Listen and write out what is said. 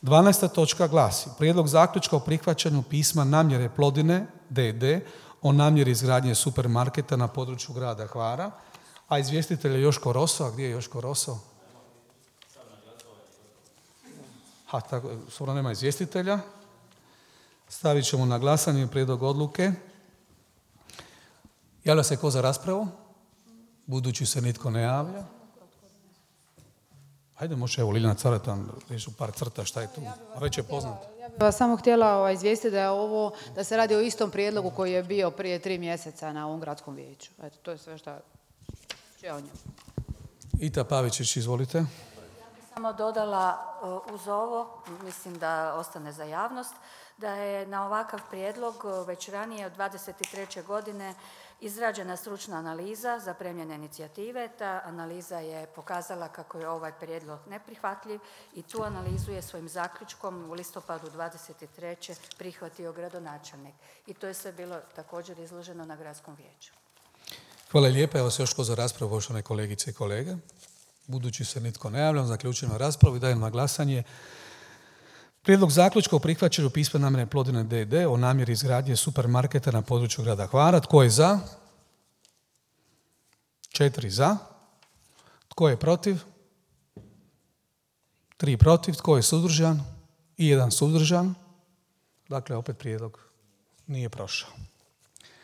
12. točka glasi: Prijedlog zaključka o prihvaćanju pisma namjere Plodine d.d. o namjeri izgradnje supermarketa na području grada Hvara. A izvjestitelj je Joško Roso. A gdje je Joško Roso? Skoro nema izvjestitelja. Stavit ćemo na glasanje prijedlog odluke. Javlja se ko za raspravu? Budući se nitko ne javlja. Ajde, može, evo, Liljana Caretan, reći par crta, šta je tu? Već je poznato. Ja bih vas samo htjela izvijestiti da se radi o istom prijedlogu koji je bio prije 3 mjeseca na ovom gradskom vijeću. Eto, to je sve što je o njemu. Ita Pavičić, izvolite. Ja bih samo dodala uz ovo, mislim da ostane za javnost, da je na ovakav prijedlog već ranije od 23. godine izrađena stručna analiza za premijene inicijative. Ta analiza je pokazala kako je ovaj prijedlog neprihvatljiv i tu analizu je svojim zaključkom u listopadu 23. prihvatio gradonačelnik. I to je sve bilo također izloženo na gradskom vijeću. Hvala lijepa. Evo se još ko za raspravu, poštovane kolegice i kolege. Budući se nitko ne javlja, zaključujemo raspravu i dajem na glasanje prijedlog zaključka o prihvaćanju pisma namjere Plodine d.d. o namjeri izgradnje supermarketa na području grada Hvara. Tko je za? 4 za. Tko je protiv? 3 protiv. Tko je suzdržan? I 1 suzdržan. Dakle, opet prijedlog nije prošao.